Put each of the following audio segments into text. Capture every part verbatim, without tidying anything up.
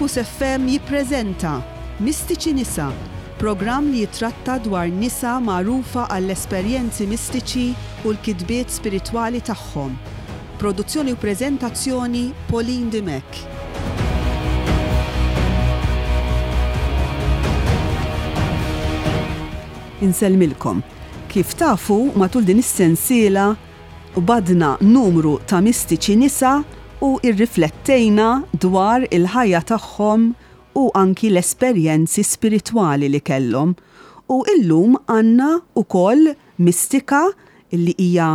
Mus F M jippreżenta Mistiċi Nisa, programm li jitratta dwar nisa magħrufa għall-esperjenzi mistiċi u l-kitbiet spiritwali tagħhom. Produzzjoni u preżentazzjoni, Pauline Dimech. Insellmilkom. Kif tafu, matul din is-sensiela badna numru ta' mistiċi nisa u irriflettejna dwar il-ħajja tagħhom u anki l-esperjenzi spiritwali li kellhom. U illum għandna ukoll mistika illi hija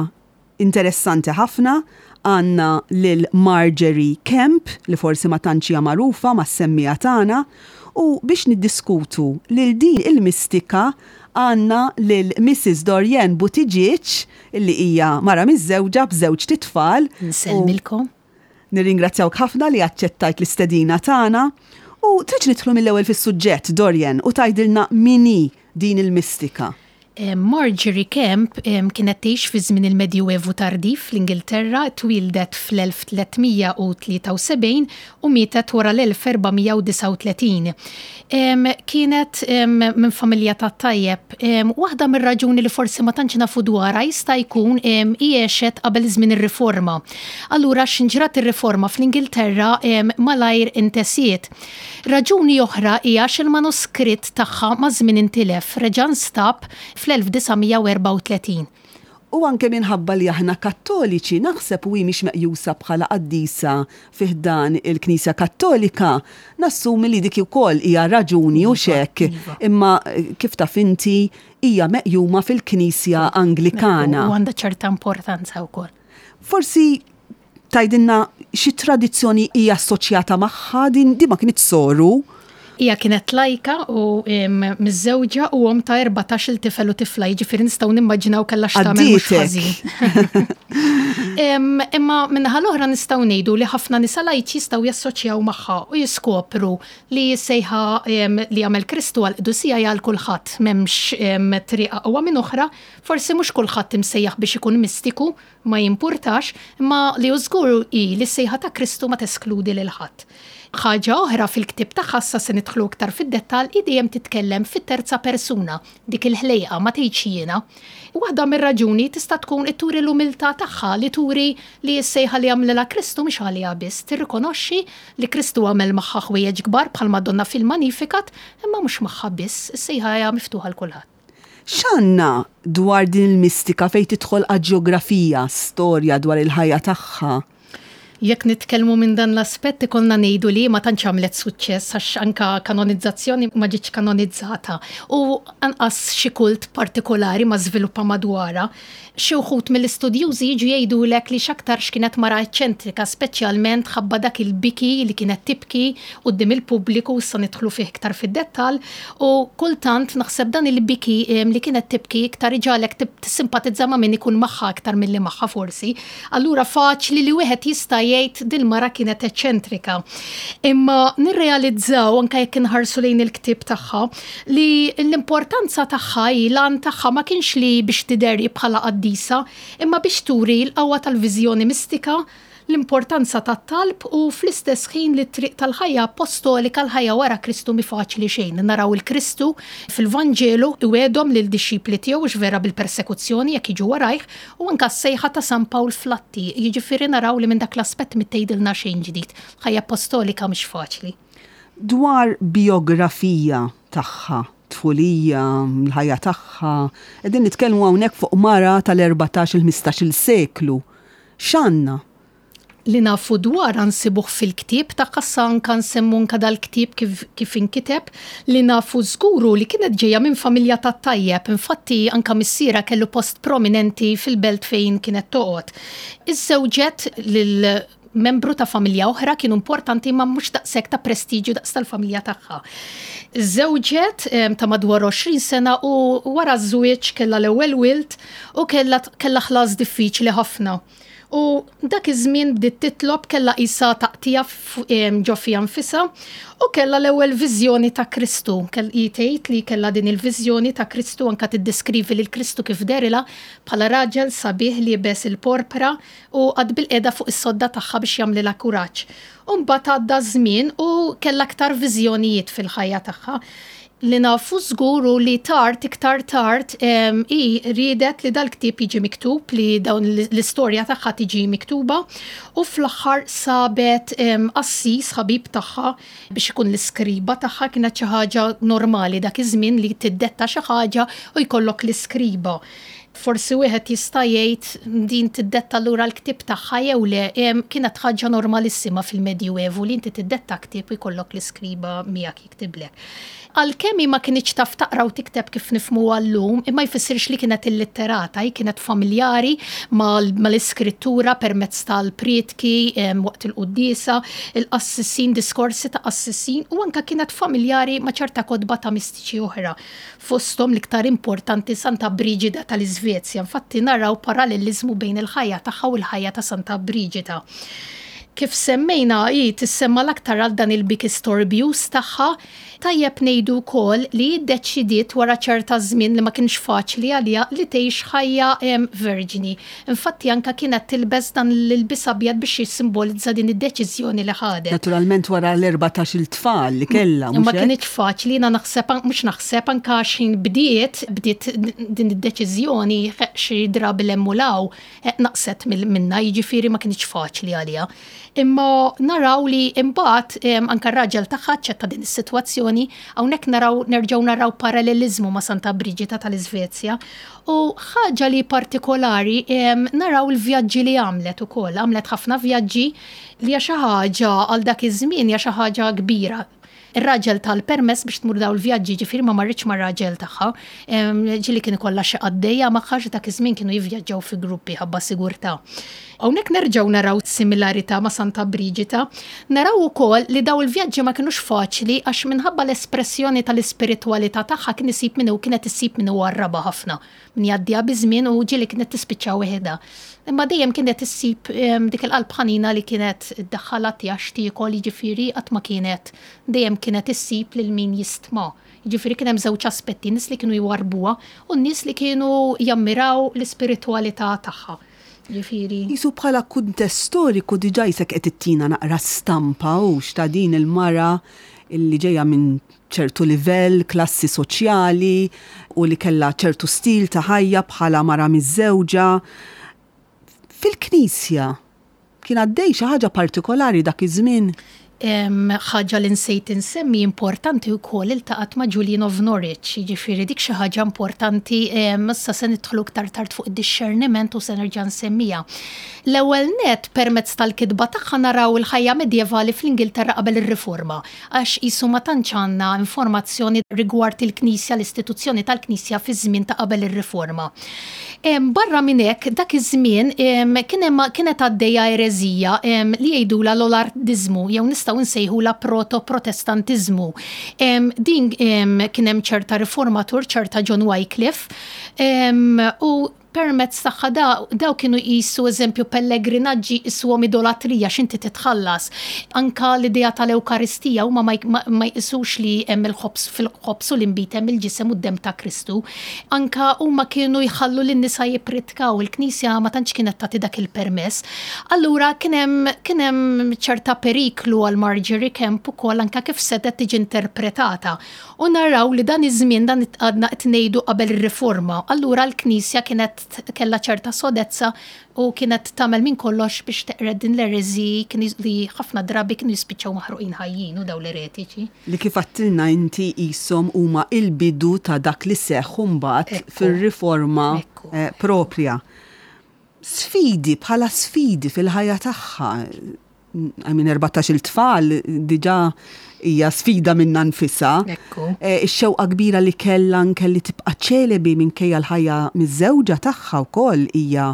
interessanti ħafna, għandna lil Margery Kemp, li forsi ma tantx hija magħrufa mas-semmiegħa tagħna, u biex niddiskutu lil din il-mistika għandna lil Missus Dorianne Buttigieg, illi hija mara miżżewġa b'żewġ titfal. Nsellmilkom. Nirringrazzjawk ħafna li aċċettajt l-istedina tagħna. U tridx nidħlu mill-ewwel fis-suġġett, Dorianne, u tgħidilna min hi din il-mistika. Eh, Margery Kemp em, kienet tgħix fi żmien il-Medjuevu tardiv fl-Ingilterra, twildet fl-elf tliet mija u tlieta u sebgħin u mietet wara l-elf erba' mija u disgħa u tletin. Em, Kienet em, minn familja ta' tajjeb. Em, Waħda mir-raġuni li forsi ma tantx nafu dwarha jista' jkun em, hi għexet qabel żmien ir-Riforma. Allura x'inġrat ir-Riforma fl-Ingilterra em, malajr intesiet. Raġuni oħra hija għax il-manuskritt tagħha ma' żmien intilef, reġa' nstab fl-elf disa' mija u erbgħa u tletin. U anke minħabba li aħna Kattoliċi, naħseb, u hi mhix meqjusa bħala qaddisa fi ħdan il-Knisja Kattolika, nassumi li dik ukoll hija raġuni u Iva, xek. iva. Imma eh, kif taf inti, hija meqjuma fil-Knisja Anglikana. U għandha ċerta importanza wkoll. Forsi tgħidilna xi tradizzjoni hija assoċjata magħha din, di ma kienet soru. Hija kienet lajka u em, miżżewġa u omm ta' erbatax-il tifel u tifla, jiġifieri nistgħu nimmaġinaw kellha x'tagħmel mhux Għaddietek. ħażin. Em, Imma min-naħa l-oħra nistgħu ngħidu li ħafna nisa lajċi jistgħu jassoċjaw magħha u jiskopru li s-sejħa em, li għamel Kristu għal qdusija hija għal kulħadd, m'hemmx em, triq aqwa minn oħra, forsi mhux kulħadd imsejjaħ biex ikun mistiku, ma jimpurtax, imma li hu żgur hi li s-sejħa ta' Kristu ma teskludi lil ħadd. Ħaġa oħra, fil-ktib tagħha, issa se nidħlu iktar fid-dettall, hi dejjem titkellem fit-terza persuna, dik il-ħlejqa, ma tgħidx jiena. Waħda mir-raġuni tista' tkun turi l-umiltà tagħha, li turi li s-sejħa li għamlilha Kristu mhix għaliha biss, tirrikonoxxi li Kristu għamel magħha ħwejjeġ kbar bħal Madonna fil-Magnificat, imma mhux magħha biss, is-sejħa hija miftuħa l kulħadd. X'għandna dwar din il-mistika fejn tidħol ġeografija, storja dwar il-ħajja tagħha? Jekk nitkellmu minn dan l-aspett, ikollna ngħidu li ma tantx għamlet suċċess, għax anka kanonizzazzjoni ma ġietx kanonizzata u anqas xi kult partikolari ma żviluppa madwarha. Xi wħud mill-istudjużi jiġu jgħidulek li x'aktarx kienet mara eċċentrika, speċjalment ħabba dak il-biki li kienet tibki quddiem il-pubbliku, issa nidħlu fih iktar fid-dettall, u kultant naħseb dan il-biki em, li kienet tibki iktar iġagħlek tib- tissimpatizza ma' min ikun magħha aktar milli magħha forsi. Allura faċli li wieħed jista' jgħid dil-mara kienet eċċentrika. Imma nirrealizzaw, anke jekk inħarsu lejn il-ktieb tagħha, li l-importanza tagħha hi l-għan tagħha ma kienx li biex tidher bħala qaddisa, imma biex turi l-qawwa tal-viżjoni mistika, l-importanza tat-talb u fl-istess ħin li t-triq tal-ħajja apostolika, l-ħajja wara Kristu, mi faċli xejn. Naraw il-Kristu fil-Vanġelu iwegħedhom lil dixxipli tiegħu vera bil-persekuzzjoni jekk jiġu warajh, u anka s-sejħa ta' San Pawl fl-Atti. Jiġifieri naraw li minn dak l-aspett mi tgħidilna xejn ġdid. Ħajja apostolika mhix faċli. Dwar biografija tagħha, tfulija, l-ħajja tagħha, qegħdin nitkellmu hawnhekk fuq mara tal-erbatax il-ħmistax-il seklu. X'għandna? Li nafu dwar nsibuh fil-ktieb ta' anka nsemmu anka dal-ktieb kif, kif inkiteb. Li nafu żgur hu li kienet ġejja minn familja ta' tajjeb, infatti anka missiera kellu post prominenti fil-belt fejn kienet toqgħod. Iżżewġet lil membru ta' familja oħra, kienu importanti ma mhux daqshekk ta' prestiġju daqs tal-familja tagħha. Żewġet em, ta' madwar għoxrin sena u wara ż-żwieġ kellha l-ewwel wild u kellha kellha ħlas diffiċli ħafna. U dak iż-żmien bdiet titlob, kellha qisha taqtigħa ġo fiha nfisha u kellha l-ewwel viżjoni ta' Kristu. Tgħid li kellha din il-viżjoni ta' Kristu, anka tiddeskrivi lil Kristu kif dehrilha bħala raġel sabiħ liebes il-porpra u qagħad bilqiegħda fuq is-sodda tagħha biex jagħmlilha kuraġġ. U mbagħad għadda żmien u kellha aktar viżjonijiet fil-ħajja tagħha. Li nafu żgur hu li tard, iktar tard, hi riedet li dal-ktieb jiġi miktub, li dawn l-istorja tagħha tiġi miktuba, u fl-aħħar sabet qassis ħabib tagħha biex ikun l-iskriba tagħha. Kienet xi ħaġa normali dak iż-żmien li tiddetta xi ħaġa u jkollok l-iskriba. Forsi wieħed jista' jgħid din tiddetta lura l-ktieb tagħha jew le, kienet ħaġa normalissima fil-Medjuevu li inti tiddetta ktieb u jkollok l-iskriba miegħek jiktiblek. Għalkemm ma kinitx taf taqra u tikteb kif nifhmu llum, imma jfissirx li kienet illitterata, hi kienet familjari mal-iskrittura permezz tal-prietki waqt il-quddiesa, il-qassisin, diskorsi ta' qassisin, u anka kienet familjari ma' ċerta kotba ta' mistiċi oħra. Fosthom l-iktar importanti Santa Brigida tal-Iżvezja. Infatti naraw parallelizmu bejn il-ħajja tagħha u l-ħajja ta' Santa Brigida. Kif semmejna, hi tissemma l-aktar għal dan il-biki storbjuż tagħha. Tajjeb ngħidu wkoll li ddeċidiet wara ċerta żmien, li ma kienx faċli għaliha, li tgħix ħajja verġni. Infatti anka kienet tilbes dan l-ilbies abjad biex jissimbolizza din id-deċiżjoni li ħadet. Naturalment wara l-erbatax-il tfal li kellha. Ma kienx faċli, jiena naħseb, mhux naħseb, anka x'ħin bdiet bdiet din id-deċiżjoni, xi drabi l-emmulaw naqset minna, jiġifieri ma kienx faċli għaliha. Imma naraw li imbagħad anka r-raġel tagħha aċċetta din is-sitwazzjoni, hawnhekk naraw nerġgħu naraw parallelizmu ma' Santa Brigida tal-Iżvezja. U ħaġa li partikolari, naraw il-vjaġġi li għamlet ukoll, għamlet ħafna vjaġġi li hija xi ħaġa għal dak iż-żmien hija xi ħaġa kbira. Ir-raġel tal-permess biex tmur daw il-vjaġġi, ġifieri ma marritx mar-raġel tagħha. Ġieli kien ikollha xi qaddejja magħha, dak iż-żmien kienu jivvjaġġaw fi gruppi ħabba sigurtà. Hawnhekk nerġgħu naraw similarità ma' Santa Brigida. Naraw ukoll li daw il-vjaġġi ma kinux faċli għax minħabba l-espressjoni tal-ispiritwalità tagħha kien isib min kienet issib min warrabha ħafna. Min jgħaddiha biż-żmien u ġieli kienet tispiċċa weħidha. Imma dejjem kienet issib dik il-qalb ħanina li kienet iddaħħalha ttiha x'tiekol, jiġifieri qatt ma kienet, dejjem kienet issib lil min jistma. Jiġifieri kien hemm żewġ aspetti, nies li kienu jwarbuha u nies li kienu jammiraw l-ispiritwalità tagħha. Ġifieri. Jisu bħala kuntest storiku diġà jisek qed ittina naqra stampa u ta' din il-mara illi ġejja minn ċertu livell, klassi soċjali u li kellha ċertu stil ta' ħajja bħala mara miżżewġa. Fil-Knisja kien għaddej xi ħaġa partikolari dak iż-żmien? Ħaġa li nsejt insemmi importanti wkoll, iltaqgħet ma' Julian of Norwich, jiġifieri dik xi ħaġa importanti, issa se nidħlu iktar tard fuq id-discerniment u se nerġa' nsemmija. L-ewwel net, permezz tal-kitba tagħha naraw il-ħajja medjevali fl-Ingilterra qabel ir-Riforma, għax qisu ma tantx għandna informazzjoni rigward il-Knisja, l-istituzzjoni tal-Knisja fi żmien ta' qabel ir-Riforma. Barra minn hekk, dak iż-żmien kien hemm kienet għaddejja ereżija li jgħidulha l-Lollardiżmu jew nistgħu nsejħula proto-protestantiżmu. Din kien hemm ċerta riformatur, ċerta John Wycliffe, u permezz tagħha daw kienu jqisu, eżempju, pellegrinaġġi jqisuhom idolatrija x'inti titħallas. Anka l-idea tal-Ewkaristija, huma ma jqisux li hemm il-ħobż, fil-ħobż u l-inbid hemm il-ġisem u d-dem ta' Kristu. Anka huma kienu jħallu lin-nisa jippritkaw, il-Knisja ma tantx kienet tagħti dak il-permess. Allura kien hemm kien hemm ċerta periklu għal Margery Kempe ukoll anka kif setgħet tiġi interpretata. U naraw li dan iż-żmien dan għadna qed ngħidu qabel ir-Riforma. Allura l-Knisja kienet kellha ċerta sodezza u kienet tagħmel minn kollox biex teqred din l-ereżi li ħafna drabi kienu jispiċċaw maħruqin ħajjin u daw l-eretiċi. Li kif għedtilna inti qishom huma il-bidu ta' dak li seħħ mbagħad fir-riforma eh, propria. Sfidi, bħala sfidi fil-ħajja tagħha. I mean, erbatax-il tfal diġà hija sfida minnha nfisha. Eh, ix-xewqa kbira li kellha anke li tibqa' ċelebi minkejja l-ħajja miżżewġa tagħha wkoll hija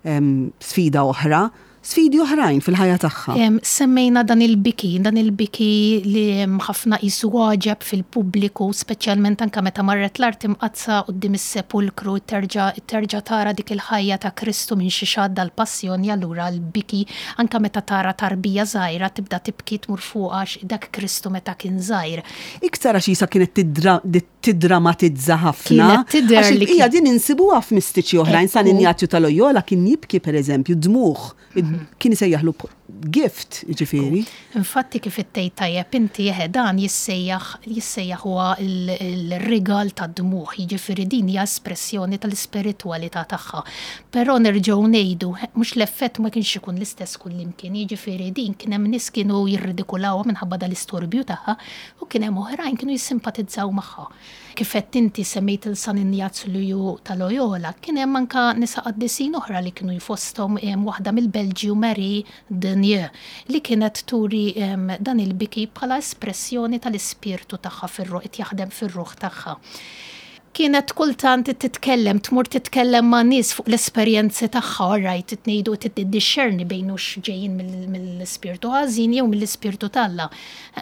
sfida oħra. Sfidi oħrajn fil-ħajja tagħha. Semmejna dan il-biki, dan il-biki li ħafna qisu għaġeb fil-pubbliku, speċjalment anka meta marret l-Art Imqaddsa quddiem is-sepulkru terġa' terġa' tara dik il-ħajja ta' Kristu minn xi għadda l-passjoni, allura l-biki anka meta tara tarbija żgħira tibda tibki, tmur fuqha, dak Kristu meta kien żgħir. Iktar għax isa kienet tiddramatizza ħafna. Kienet tidher li hija din insibuha f'mistiċi oħrajn. San Injazju ta' Loyola kien jibki, pereżempju, dmuħ. Kien isejjaħlu gift, ġifieri. Infatti, kif ittejt tajjeb inti, eħe, dan jissejjaħ jissejjaħ huwa il-rigal ta' dmuħ, jiġifieri din hija espressjoni tal-ispiritwalità tagħha. Però nerġgħu ngħidu, mhux l-effett ma kienx ikun l-istess kullimkien, jiġifieri din kien hemm nies kienu jirridikulawha minħabba dal-istorbju tagħha u kien hemm oħrajn kienu jissimpatizzaw magħha. Kif qed inti semmejt il San Injazju ta' Loyola, kien hemm anka nisa qaddisin oħra li kienu jfosthom waħda mill-Belġju, Marie Denier, li kienet turi dan il-biki bħala espressjoni tal-ispirtu tagħha fir-ruħ, jaħdem fir-ruħ tagħha. Kienet kultant titkellem, tmur titkellem ma' nies fuq l-esperjenzi tagħha, rajt tnejdu tiddixxerni bejn hux ġejjin mill-ispirtu ħażin jew mill-ispirtu t'Alla.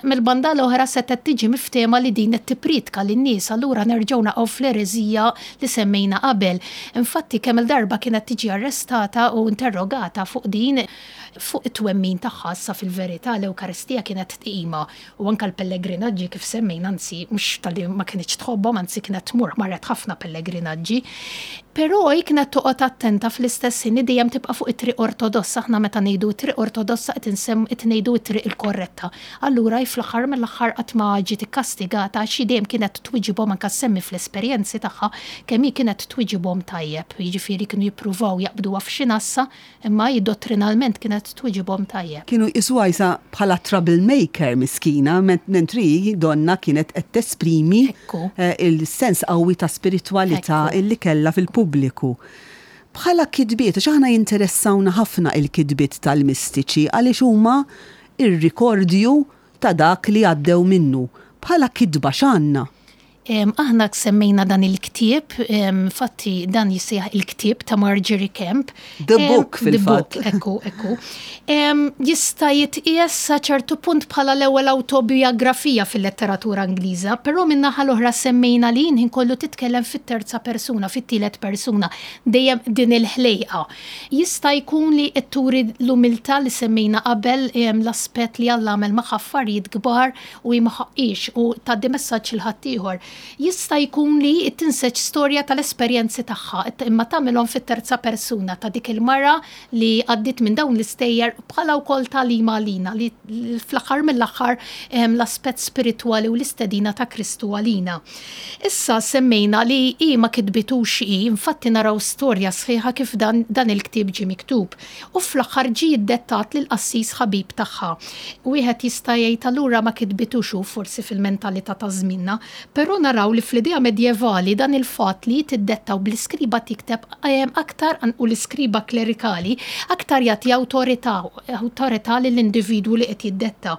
Mill-banda l-oħra setgħet tiġi miftehma li din qed tippriedka lin-nies, allura nerġgħu naqgħu fl-ereżija li semmejna qabel. Infatti kemm il-darba kienet tiġi arrestata u interrogata fuq din, fuq it-twemmin tagħha. Issa fil-verità l-Ewkaristija kienet tqima u anka l-pellegrinaġġi kif semmejna, anzi mhux talli ma kinitx tħobbhom, anzi kienet tmur, marret ħafna pellegrinaġġi. Però hi kienet toqgħod attenta fl-istess ħin dejjem tibqa' fuq it-triq ortodossa. Aħna meta ngħidu triq ortodossa qed insemm qed ngħidu t-triq il-korretta. Allura hi fl-aħħar mill-aħħar qatt ma ġiet ikkastigata għax dejjem kienet twiġibhom, anke semmi fl-esperjenzi tagħha kemm hi kienet twiġibhom tajjeb. Jiġifieri kienu jippruvaw jaqbduha f'xi nassa, imma hi dottrinalment kienet twiġibhom tajjeb. Kienu jqisuha isa bħala troublemaker miskina, mentri donna kienet qed tesprimi Ekku. eh, il-sens qawwi ta' spiritwalità Ekku. illi kellha fil-pubbliku. Bħala kitbiet, għax aħna jinteressawna ħafna il-kitbiet tal-mistiċi għaliex huma ir-rikordju ta' dak li għaddew minnu. Bħala kitba x'għandna? Em, Aħna semmejna dan il-ktieb, em, fatti dan jissejjaħ il-ktieb ta' Margery Kempe. The Em, Book, The fil-fatt. Book, ekku, ekku. Em, Jista' jitqies sa ċertu punt bħala l-ewwel autobiografija fil-letteratura Ingliża, però min-naħa l-oħra semmejna li ħin kollu titkellem fit-terza persuna, fit-tielet persuna, dejjem din il-ħlejqa. Jista' jkun li turi l-umiltà li semmejna qabel, em, l-aspett li Alla għamel magħha affarijiet kbar u hi ma ħaqqix u tgħaddi messaġġ lil ħaddieħor. Jista' jkun li tinseġ storja tal-esperjenzi tagħha, imma tagħmilhom fit-terza persuna ta' dik il-mara li għaddiet minn dawn l-istejjer bħala wkoll tagħlima għalina li fl-aħħar mill-aħħar em, l-aspett spiritwali u l-istedina ta' Kristu għalina. Issa semmejna li hi ma kitbitux hi, infatti naraw storja sħiħa kif dan, dan il-ktieb ġie miktub. U fl-aħħar ġie iddettat lil qassis ħabib tagħha. Wieħed jista' jgħid allura ma kitbitux hu, forsi fil-mentalità ta' żminna, però naraw li fl-idea medjevali dan il-fatt li tiddettaw bl-iskriba tikteb em, aktar u l-iskriba klerikali aktar jagħti awtorità awtorità lill-individwu li qed jiddetta.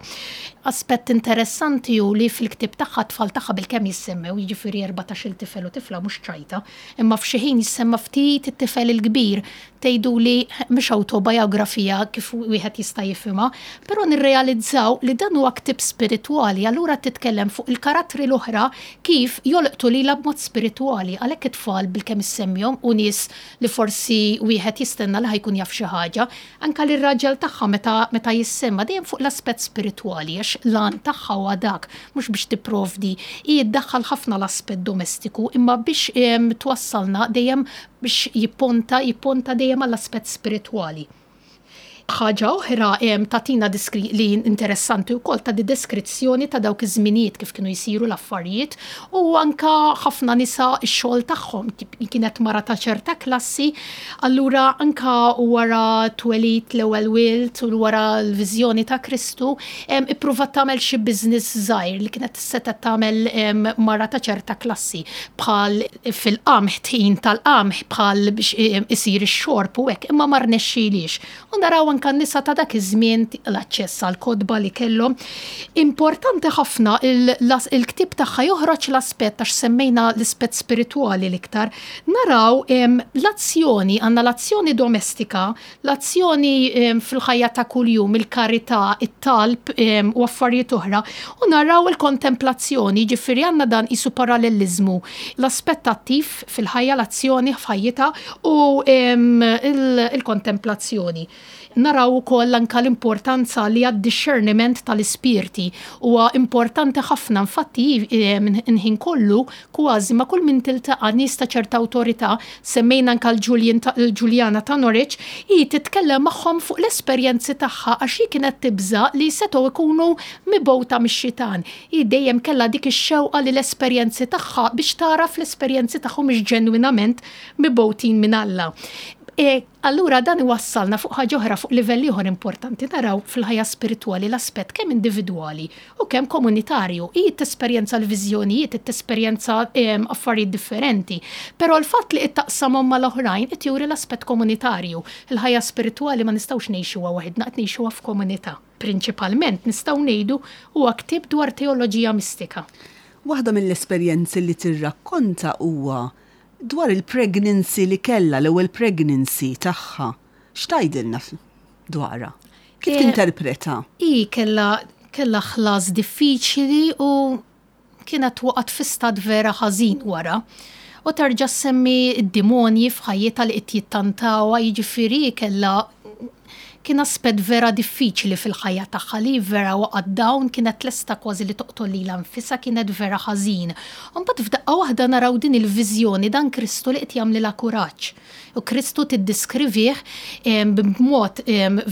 Aspett interessanti hu li fil-ktieb tagħha tfal tagħha bilkemm jissemmew, jiġifieri erbatax-il tifel u tifla mhux ċajta, imma f'xi ħin jissemma ftit it-tifel il-kbir. Tgħidu li mhux autobiografija kif wieħed jista' jifhimha, però nirrealizzaw li dan huwa ktieb spiritwali, allura titkellem fuq il-karattri l-oħra kif jolqtu lilha b'mod spiritwali, għalhekk it-tfal bilkemm issemmihom u nies li forsi wieħed jistenna li ħa jkun jaf xi ħaġa, anka lir raġel tagħha meta meta jissemma dejjem fuq l-aspett spiritwali, għax l-għan tagħha huwa dak, mhux biex tipprovdi. Hi ddaħħal ħafna l-aspett domestiku, imma biex em, twassalna dejjem biex jipponta jipponta dejjem għall-aspett spiritwali. Ħaġa oħra em, tagħtina diskri li interessanti wkoll ta' di deskrizzjoni ta' dawk iż-żminijiet kif kienu jsiru l-affarijiet u anka ħafna nisa x-xogħol tagħhom tip- kienet mara ta' ċerta klassi, allura anka wara twelid l-ewwel wild u wara l-viżjoni ta' Kristu em, ippruvat tagħmel xi business żgħir li kienet setgħet tagħmel em, mara ta' ċerta klassi, bħal fil-qamħ, tħin tal-qamħ, bħal biex em, isir ix-xorb u hekk, imma ma rnexxilix. U naraw anka n-nisa ta' dak iż-żmien, l-aċċess għal kotba li kellhom. Importanti ħafna il-ktieb tagħha joħroġ l-aspett, għax semmejna l-aspett spiritwali l-iktar, naraw l-azzjoni, għandna l-azzjoni domestika, l-azzjoni fil-ħajja ta' kuljum, il-karità, it-talb u affarijiet oħra, u naraw il-kontemplazzjoni, ġifieri għandna dan isu parallelizmu, l-aspett attiv fil-ħajja, l-azzjoni f'ħajjitha u il-kontemplazzjoni. Naraw ukoll anka l-importanza li għad-discerniment tal-ispirti huwa importanti ħafna. Infatti nħin kollu kważi ma' kull min tiltaqa', nies ta' ċerta awtorità, semmejna anka l-Ġuljana ta' Norwich, hi titkellem magħhom fuq l-esperjenzi tagħha għax hi kienet tibża li setgħu ikunu mibgħuta mix-xitan. Hi dejjem kellha dik ix-xewqa li l-esperjenzi tagħha, biex tara fl-esperjenzi tagħhom mhix ġenwinament mibgħutin minn Alla. E, allura dan iwassalna fuq ħaġa oħra, fuq livell ieħor importanti, naraw fil-ħajja spiritwali l-aspett kemm individwali u kemm komunitarju. Hi tesperjenza l-viżjonijiet, tesperjenza affarijiet differenti, però l-fatt li taqsamhom mal-oħrajn qed juri l-aspett komunitarju. Il-ħajja spiritwali ma nistgħux ngħixuha waħedna, qed ngħixuha f'komunità. Prinċipalment nistgħu ngħidu huwa ktieb dwar teoloġija mistika. Waħda mill-esperjenzi li tirrakkonta huwa dwar il-pregnancy li kella, l-ewwel pregnancy tagħha. X'tgħidilna dwarha? Kif eh, tinterpreta? I kella kella ħlas diffiċli u kienet waqgħet fi stat vera ħażin wara. U terġa' semmi d-demonji f'ħajjitha li qed jittantawha, jiġifieri kella kien aspett vera diffiċli fil-ħajja tagħha li vera waqgħet down, kienet lesta kważi li toqtol lilha nfisha, kienet vera ħażin. Mbagħad f'daqqa waħda naraw din il-viżjoni, dan Kristu li qed jagħmlilha kuraġġ. U Kristu tiddiskrivih b'mod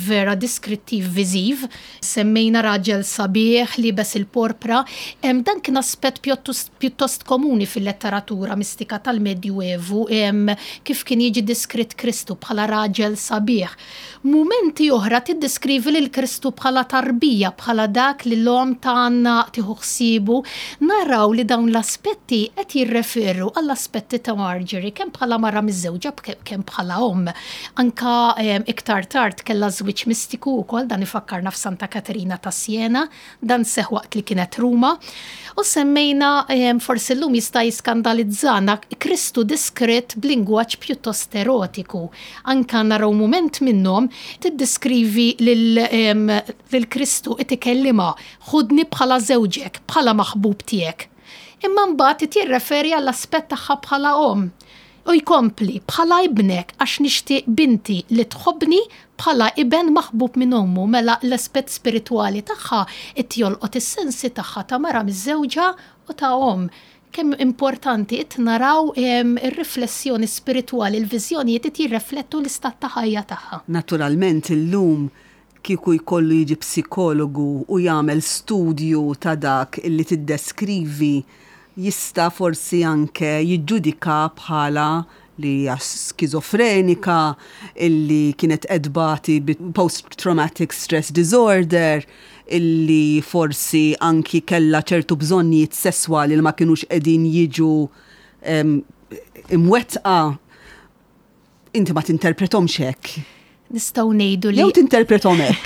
vera diskrittiv viżiv, semmejna raġel sabiħ liebes il-porpra, dan kien aspett pjuttost komuni fil-letteratura mistika tal-Medjuevu, kif kien jiġi diskrit Kristu bħala raġel sabiħ. Mumenti oħra tiddeskrivi lil Kristu bħala tarbija, bħala dak li l-omm tagħna tieħu ħsiebu. Naraw li dawn l-aspetti qed jirreferu għall-aspetti ta' Marjorie kemm bħala mara miżżewġa, kemm bħala omm. Anka iktar tard kellha żwieġ mistiku wkoll, dan ifakkarna f'Santa Katerina ta' Siena, dan seħ waqt li kienet Ruma. U semmejna, forsi llum jista' jiskandalizzana, Kristu diskret b'lingwaġġ pjuttost erotiku. Anka naraw mument minnhom tiddeskrivi lil Kristu qed ikellimha: "Ħudni bħala żewġek, bħala maħbub tiegħek." Imma mbagħad jirreferi għall-aspett tagħha bħala omm. U jkompli bħala ibnek, għax nixtieq binti li tħobbni bħala iben maħbub minn ommu. Mela l-aspett spiritwali tagħha qed jolqot is-sensi tagħha ta' mara miżżewġa u ta' omm. Kemm importanti qed naraw ir-riflessjoni spiritwali, il-viżjonijiet qed jirreflettu l-istat ta' ħajja tagħha. Naturalment illum kieku jkollu jiġi psikologu u jagħmel studju ta' dak illi tiddeskrivi, jista' forsi anke jiġġudika bħala li hija skizofrenika, illi kienet tbati post-traumatic stress disorder, illi forsi anki kella ċertu bżonnijiet sesswali li ma kienux qegħdin jiġu imwettqa. Inti ma tinterpretomx hekk. Nistgħu ngħidu li Jew tinterpretom hekk.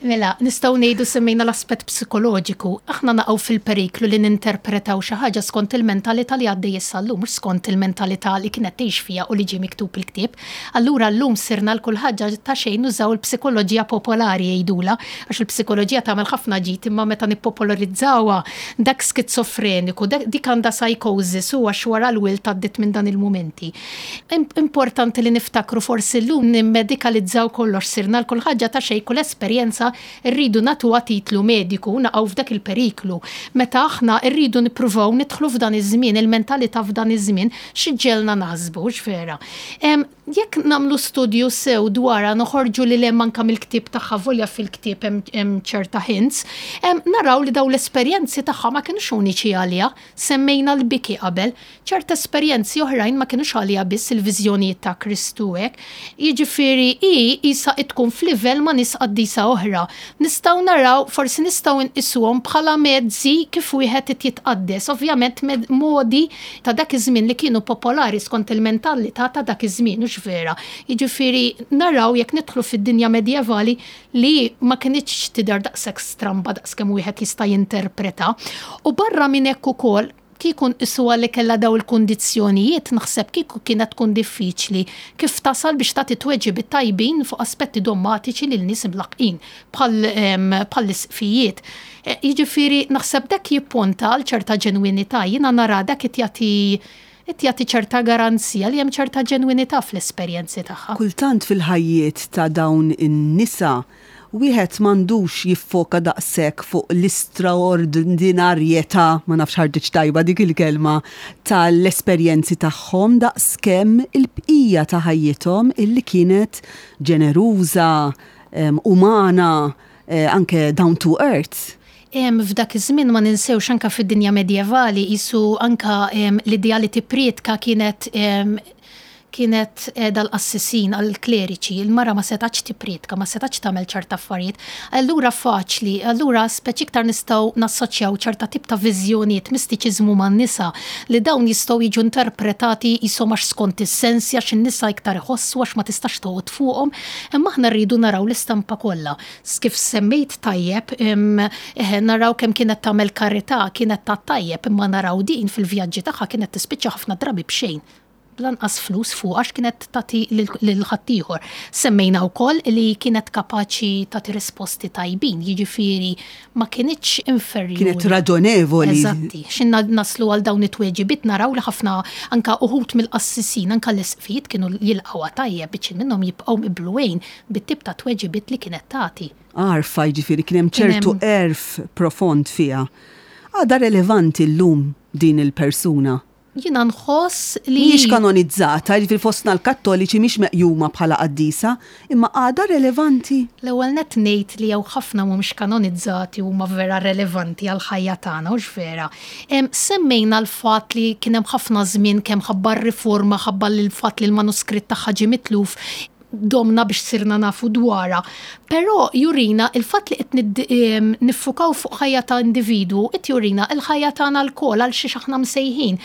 Mela, nistgħu ngħidu, semmejna l-aspett psikoloġiku. Aħna naqgħu fil-periklu li ninterpretaw xi ħaġa skont il-mentalità li għaddej issa llum, mhux skont il-mentalità li kienet tgħix fiha u li ġie miktub il-ktieb. Allura llum sirna l kull ħaġa ta' xejn nużaw il-psikoloġija popolari jgħidula, għax il-psikoloġija tagħmel ħafna ġid, imma meta nippopolarizzawha, dak skizofreniku, dik għandha psychosis u għax wara l-wild għaddiet minn dan il-mumenti. Importanti li niftakru, forsi llum nimmedikalizzaw kollox, sirna l kull ħaġa ta' xejn, kull esperjenza rridu nagħtuha titlu mediku, naqgħu f'dak il-periklu. Meta aħna rridu nippruvaw nidħlu f'dan iż-żmien, il-mentalità f'dan iż-żmien, x'iġġegħelna naħsbu, vera. Jekk nagħmlu studju sew dwarha, noħorġu li hemm anka mill-ktieb tagħha, volja fil-ktieb hemm ċerta hints, naraw li daw l-esperjenzi tagħha ma kienux uniċi għaliha, semmejna l-biki qabel, ċerta esperjenzi oħrajn ma kienux għaliha biss, il-viżjonijiet ta' Kristu hekk. Jiġifieri Jiġifieri hi isa tkun f'livell ma' nies qaddisa oħra. Nistgħu naraw, forsi nistgħu nqisuhom bħala mezzi kif wieħed jitqaddes. Ovvjament modi ta' dak iż-żmien li kienu popolari skont il-mentalità ta' dak iż-żmien, hux vera? Jiġifieri naraw jekk nidħlu fid-dinja medjevali li ma kinitx tidher daqshekk stramba daqskemm wieħed jista' jinterpreta. U barra minn hekk ukoll, kieku nqisuha li kellha daw il-kundizzjonijiet, naħseb kieku kienet tkun diffiċli kif tasal biex tagħti tweġibiet tajbin fuq aspetti dommatiċi lil nies imlaqqin bħall-isqfijiet. E, jiġifieri naħseb dak jipponta għal ċerta ġenwinità, jiena nara dak jagħti jagħti ċerta garanzija li hemm ċerta ġenwinità fl-esperjenzi tagħha. Kultant fil-ħajjiet ta' dawn in-nisa wieħed m'għandux jiffoka daqshekk fuq l-istraordinarjetà, ma nafx ħarġitx tajba dik il-kelma, tal-esperjenzi tagħhom daqskemm il-bqija ta' ħajjithom illi kienet ġeneruża, umana, eh, anke down to earth. F'dak iż-żmien, ma ninsewx, anka fid-dinja medjevali jisu anka l-idea li tipprietka kienet kienet dal-qassisin għal-kleriċi, il-mara ma setax tipprietka, ma setax tagħmel ċerta affarijiet. Allura faċli, allura speċi iktar nistgħu nassoċjaw ċerta tip ta' viżjonijiet, mistiċiżmu man-nisa li dawn jistgħu jiġu interpretati jisom għax skont is-sensi, għax in-nisa iktar iħossu, għax ma tistax toqgħod fuqhom, imma aħna rridu naraw l-istampa kollha. Kif semmejt tajjeb, naraw kemm kienet tagħmel karità, kienet ta' tajjeb, imma naraw din fil-vjaġġi tagħha kienet tispiċċa ħafna drabi b'xejn, lanqas flus fuq, għax kienet tagħti lil ħaddieħor. Semmejna wkoll li kienet kapaċi tagħti risposti tajbin, jiġifieri ma kinitx inferjuri. Kienet raġonevoli. Eżatti. X'inna naslu għal dawn it-tweġibiet naraw li ħafna anka uħut mill-qassisin, anka l-isqfijiet kienu jilqgħuha tajjeb biex minnhom jibqgħu mibluwejn bit-tip ta' tweġibiet li kienet tagħti. Għarfa, jiġifieri kien hemm ċertu għerf profond fiha. Għadha relevanti llum din il-persuna? Jina nħoss li. Mhijiex kanonizzata, jiġifieri fostna l-Kattoliċi mhix meqjuma bħala qaddisa, imma għadha relevanti? L-ewwel net ngħid li jew ħafna mhumiex kanonizzati huma vera relevanti għal ħajja tagħna, hux vera? Semmejna l-fatt li kien hemm ħafna żmien kemm ħabba r-riforma, ħabba l-fatt li l-manuskritt tagħha ġie mitluf, domna biex sirna nafu dwarha. Però jurina il-fatt li qed niffukaw fuq ħajja ta' individu, qed jurina il-ħajja tagħna lkoll, għal xiex aħna msejħin.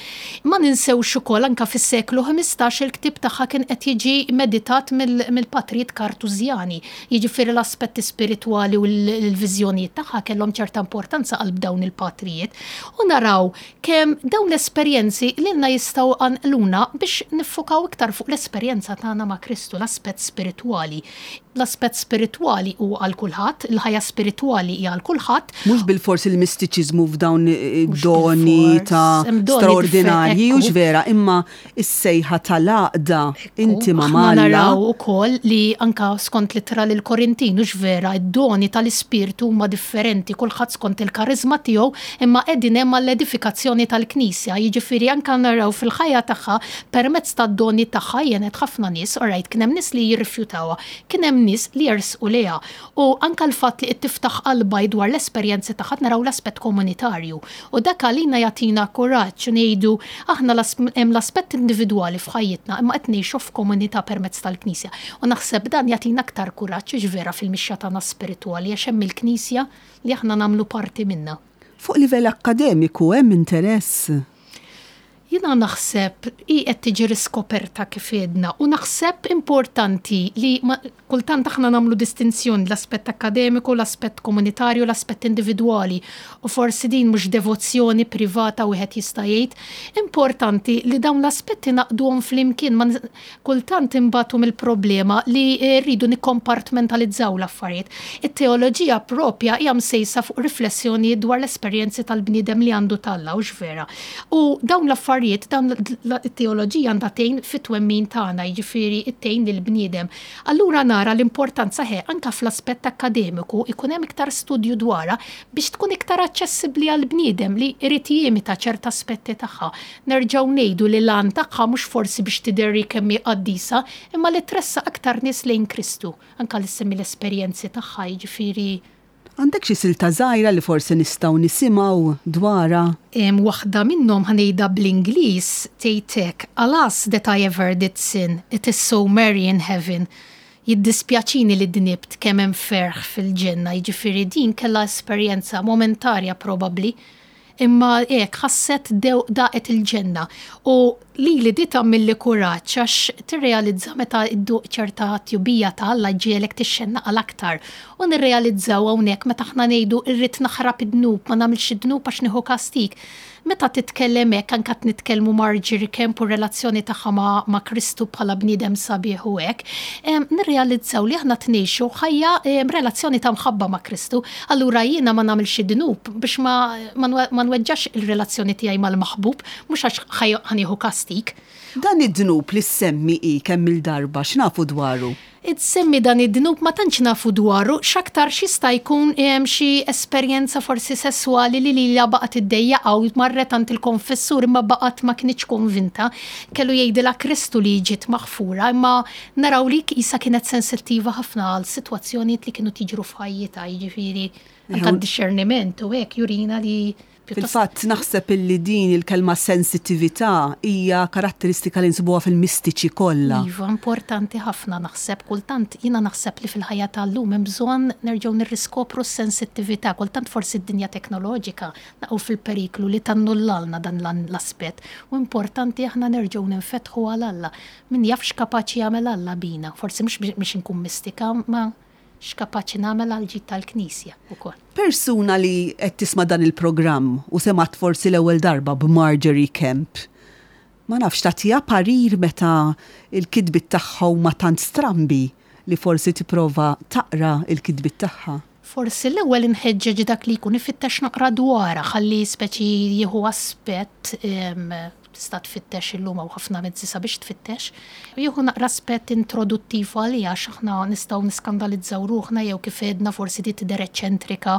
Ma ninsewx ukoll anka fis-seklu ħmistax il-ktieb tagħha kien qed jiġi meditat mill-patrijiet Kartużjani. Jiġifieri l-aspetti spiritwali u l-viżjonijiet tagħha kellhom ċerta importanza qalb dawn il-patrijiet. U naraw kemm dawn l-esperjenzi lilna jistgħu jqanqluna biex niffukaw iktar fuq l-esperjenza tagħna ma' Kristu, l-aspett spiritwali. L-aspett spiritwali hu għal kulħadd, il-ħajja spiritwali hija għal kulħadd. Mhux bilfors il-mistiċiżmu f'dawn doni ta' straordinarji, hux vera, imma is-sejħa tal-għaqda intima ma' Naraw ukoll li anka skont l-ittra lill-Korintin, hux vera, id-doni tal-ispirtu huma differenti, kulħadd skont il-karizma tiegħu, imma qegħdin hemm għall-edifikazzjoni tal-Knisja. Jiġifieri anka naraw fil-ħajja tagħha, permezz tad-doni tagħha għenet ħafna nies, alright, kien hemm nies li jirrifjutawha, kien hemm nies li jersqu lejha. U anka l-fatt li qed tiftaħ qalbha dwar l-esperjenzi tagħha, naraw l-aspett komunitarju. U dak għalina jagħtina kuraġġ ngħidu aħna hemm l-aspett individwali f'ħajjitna, imma qed ngħixu f'komunità permezz tal-Knisja. U naħseb dan jagħtina aktar kuraġġ vera fil-mixja tagħna spiritwali, għax hemm il-Knisja li aħna nagħmlu parti minnha. Fuq livell akkademiku hemm interess? Jina naħseb i qed tiġi riskoperta kif għedna, u naħseb importanti li kultant aħna nagħmlu distinzjoni l-aspett akademiku, l-aspett komunitarju, l-aspett individwali, u forsi din mhux devozzjoni privata wieħed jista' jgħid. Importanti li dawn l-aspetti naqduhom flimkien, ma kultant imbatu mill-problema li rridu nikkompartmentalizzaw l-affarijiet. It-teoloġija propja hija msejsa fuq riflessjoni dwar l-esperjenzi tal-bniedem li għandu t'Alla, hux vera? U dawn l-affarijiet, dawn it-teoloġija għandha tgħin fit-twemmin tagħna, jiġifieri tgħin lill-bniedem. Allura nara l-importanza ħe anka fl-aspett akkademiku ikun hemm iktar studju dwarha biex tkun iktar aċċessibbli għall-bniedem li jrid jimita ċerta aspetti tagħha. Nerġgħu ngħidu li l-għan tagħha mhux forsi biex tidher kemm hi qaddisa, imma li tressaq aktar nies lejn Kristu, anka li semmi l-esperjenzi tagħha, jiġifieri. Għandek xi silta żgħira li forsi nistgħu nisimgħu dwarha? Waħda minnhom ħa ngħidha bl-Ingliż, tgħidlek: "Alas that I ever did sin, it is so merry in heaven." Jiddispjaċini li dnibt, kemm hemm ferħ fil-ġenna, jiġifieri din kellha esperjenza momentarja probabbli, imma hekk ħasset daqet il-ġenna. U li li di tagħmilli kuraġġ għax tirrealizza meta dduq ċerta tjubija ta' Alla ġielek tixxennaq għal aktar. U nirrealizzaw hawnhekk meta aħna ngħidu irrid naħrab id-dnub, ma nagħmilx id-dnub għax nieħu kastik. Meta titkellem hekk, anke qed nitkellmu Margery Kempe u relazzjoni tagħha ma', ma' Kristu bħala bniedem sabiħ u hekk, nirrealizzaw li aħna tnejxu ħajja relazzjoni ta' mħabba ma' Kristu. Allura jiena ma nagħmilx id-dnub biex ma, ma nweġġax il-relazzjoni tiegħi mal-maħbub, mhux għax ħa nieħu kastik. Dan id-dnub li semmi i kemm il-darba, x'nafu dwaru? Semmi dan id-dnub ma tantx nafu dwaru, x'aktar x'jista' jkun xi esperjenza forsi sesswali li lilha baqgħet iddejjaqha u marret għand il-konfessur imma baqgħet ma kinitx konvinta. Kellu jgħidilha Kristu li ġiet maħfura, imma naraw li qisha kienet sensittiva ħafna għal sitwazzjonijiet li kienu tiġru f'ħajjitha, jiġifieri anke d-discerniment u hekk jurina li Fil-fatt naħseb illi din il-kelma sensitività hija karatteristika li nsibuha fil-mistiċi kollha. Iva, importanti ħafna naħseb, kultant jiena naħseb li fil-ħajja tal-lum hemm bżonn nerġgħu nirriskopru s-sensittività, kultant forsi d-dinja teknoloġika naqgħu fil-periklu li tannullalna dan l-aspett. U importanti aħna nerġgħu ninfetħu għal Alla. Min jaf x'kapaċi jagħmel Alla bina, forsi mhux biex inkun mistika, ma x'kapaċi nagħmel għal ġid tal-Knisja ukoll. Persuna li qed tisma' dan il-programm u semgħet forsi l-ewwel darba b'Margery Kempe, ma nafx tagħtiha parir meta il-kitbiet tagħha huma tant strambi li forsi tipprova taqra il-kitbiet tagħha. Forsi l-ewwel inħeġġeġ dak li jkun ifittex naqra dwarha ħalli speċi jieħu aspett, tista' tfittex illum hawn ħafna mezzi sabiex tfittex. Jieħu naqra aspett introduttiv għalija għax aħna nistgħu niskandalizzaw ruħna jew kif għedna forsi di tidher eċċentrika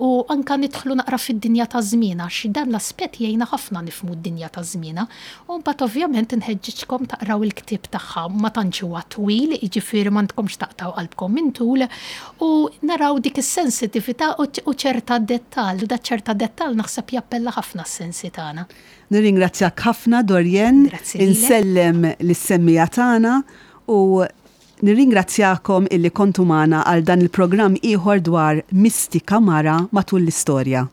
u anka nidħlu naqra fid-dinja ta' żmienha għax dan l-aspett jgħinna ħafna nifhmu d-dinja ta' żmienha. U mbagħad ovvjament inħeġġiġkom taqraw il-ktieb tagħha, ma tantx huwa twil, jiġifieri m'għandkomx taqtaw qalbkom minn tul, u naraw dik is-sensitività u ċerta dettall, u da ċerta dettall naħseb jappella ħafna s-sensi tagħna. Nirringrazzjak ħafna, Dorianne. Grazzi lilek. Insellem lis-semmija tagħna u nirringrazzjakom illi kontu magħna għal dan il-programm ieħor dwar Mistika Mara matul l-istorja.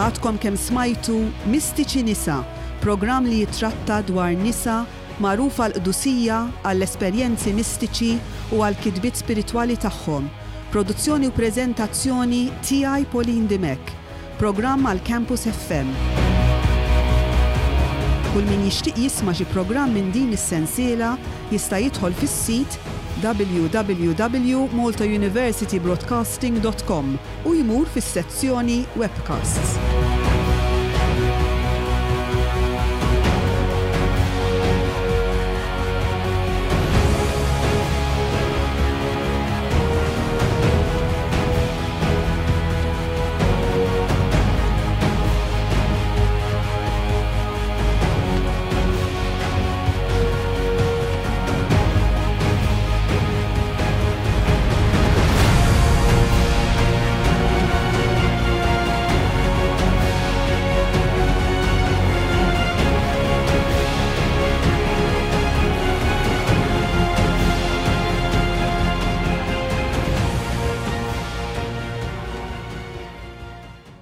Għadkom kemm smajtu Mistiċi Nisa, programm li jitratta dwar nisa magħrufa l-qdusija għall-esperjenzi mistiċi u għall-kitbiet spiritwali tagħhom. Produzzjoni u preżentazzjoni tiegħi Pauline Dimech. Programm għal Campus F M. Kull min jixtieq jisma' xi programm minn din is-sensiela jista' jidħol fis-sit w w w dot malta university broadcasting dot com u jmur fis-sezzjoni webcasts.